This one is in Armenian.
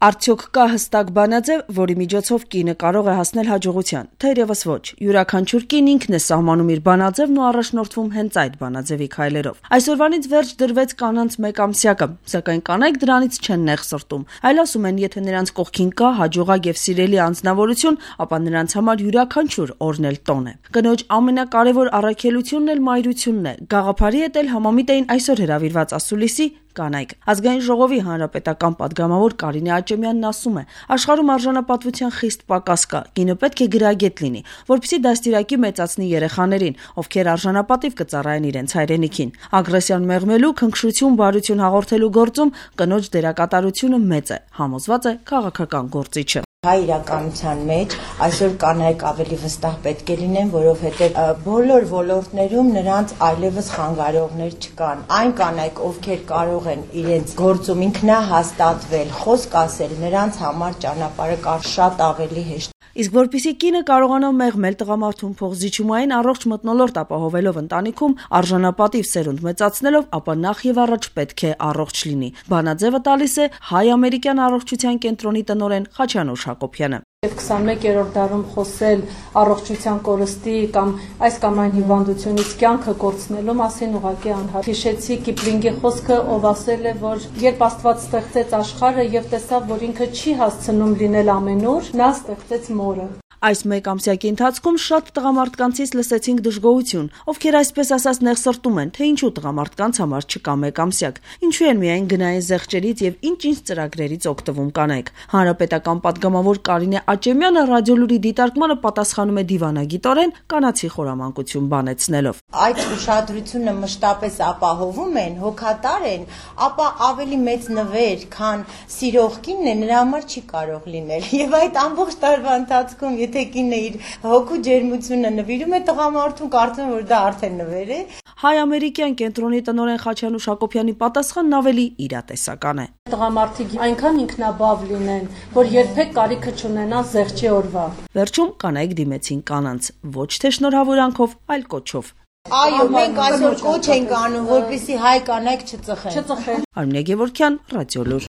Արդյոք կա հստակ բանաձև, որի միջոցով կինը կարող է հասնել հաջողության, թերևս ոչ, յուրաքանչյուր կին ինքն է սահմանում իր բանաձևն ու առաջնորդվում հենց այդ բանաձևի քայլերով։ Այսօրվանից վերջ դրվեց կանանց մեկամսյակը, սակայն կանայք դրանից չեն նեղ սրտում, այլ ասում են, եթե նրանց կողքին կա հաջողակ եւ սիրելի անձնավորություն, ապա նրանց համար յուրաքանչյուր օրն էլ տոն է։ Կնոջ ամենակարևոր առաքելությունն էլ մայրությունն է։ Գաղափարի հետ էլ համամիտ էին այսօր հրավիրված ասուլիսի կանայք։ Ազգային ժողովի հանրապետական պատգամավոր Կարինե Աճեմյանն ասում է, աշխարհում արժանապատվության խիստ պակաս կա, կինը պետք է գրագետ լինի, որպեսզի դաստիարակի մեծացնի երեխաներին, ովքեր արժանապատիվ կծառայեն իրենց հայրենիքին։ Ագրեսիան մեղմելու, քնքշություն, բարություն հաղորդելու գործում կնոջ դերակատարությունը մեծ է, համոզված է քաղաքական գործիչը։ Հայ իրականության մեջ այսօր կանայք ավելի վստահ պետք է լինեն, որովհետև բոլոր ոլորտներում նրանց այլևս խանգարողներ չկան։ Այն կանայք, ովքեր կարող են իրենց գործում ինքնահաստատվել, խոսք ասել, նրանց համար ճանապարհը շատ ավելի հեշտ։ Իսկ որպեսզի կինը կարողանա մեղմել տղամարդուն փոխզիջումային առողջ մթնոլորտ ապահովելով ընտանիքում, արժանապատիվ սերունդ մեծացնելով, ապա նախ եւ առաջ պետք է առողջ լինի։ Բանաձևը տալիս է հայ-ամերիկյան առողջության կենտրոնի տնօրեն Խաչանուշ Հակոբյանը։ Եվ 21-րդ դարում խոսել առողջության կորստի կամ այս կամ այն հիվանդությունից կյանքը կորցնելու մասին ուղղակի անհարմար։ Հիշեցի Կիպլինգի խոսքը, ով ասել է, որ երբ Աստված ստեղծեց աշխարհը եւ տեսավ, որ ինքը չի հասցնում լինել ամենուր, նա ստեղծեց մորը։ Այս մեկ ամսյակի ընթացքում շատ տղամարդկանցից լսեցինք դժգոհություն, ովքեր այսպես ասած նեղսրտում են, թե ինչու տղամարդկանց համար չկա մեկ ամսյակ, ինչու են միայն գնային զեղչերից եւ ինչ-ինչ ծրագրերից օգտվում կանայք։ Հանրապետական պատգամավոր Կարինե Աճեմյանը ռադիոլուրի դիտարկմանը պատասխանում է դիվանագիտորեն կանացի խորամանկություն բանեցնելով։ Այդ ուշադրությունը մշտապես ապահովում են, հոգատար են, ապա ավելի մեծ նվեր, քան սիրող կինն է, նրա համար չի կարող լինել։ Եվ այդ ամբողջ տարվա ընթացքում եթե կինը իր հոգու ջերմությունը նվիրում է տղամարդուն, կարծում եմ, որ դա արդեն նվեր է։ Հայ-ամերիկյան կենտրոնի տնօրեն Խաչանուշ Հակոբյանի պատասխանն ավելի իրատեսական է։ Տղամարդիկ այնքան ինքնաբավ լինեն, որ երբեք կարիքը չունենան զեղչի օրվա։ Վերջում կանայք դիմեցին կանանց, ոչ թե շնորհավորանքով, այլ կոչով։ Այո, մենք այսօր կոչ ենք անում, որպեսզի հայ կանայք չծխեն։ Արմինե Գևորգյան, Ռադիոլուր։